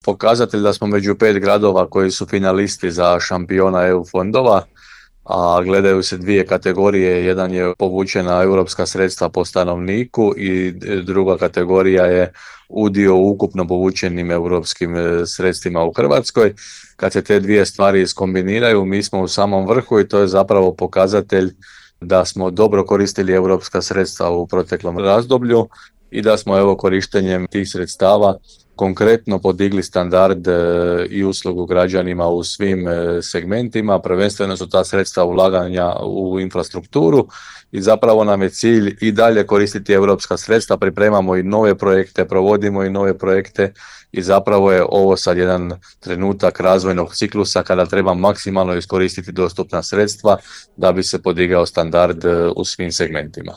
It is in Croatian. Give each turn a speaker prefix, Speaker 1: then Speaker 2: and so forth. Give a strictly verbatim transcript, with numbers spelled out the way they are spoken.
Speaker 1: pokazatelj da smo među pet gradova koji su finalisti za šampiona E U fondova, a gledaju se dvije kategorije. Jedan je povučena europska sredstva po stanovniku i druga kategorija je udio u ukupno povučenim europskim sredstvima u Hrvatskoj. Kad se te dvije stvari iskombiniraju, mi smo u samom vrhu i to je zapravo pokazatelj da smo dobro koristili europska sredstva u proteklom razdoblju i da smo evo korištenjem tih sredstava konkretno podigli standard i uslugu građanima u svim segmentima. Prvenstveno su ta sredstva ulaganja u infrastrukturu i zapravo nam je cilj i dalje koristiti europska sredstva, pripremamo i nove projekte, provodimo i nove projekte i zapravo je ovo sad jedan trenutak razvojnog ciklusa kada treba maksimalno iskoristiti dostupna sredstva da bi se podigao standard u svim segmentima.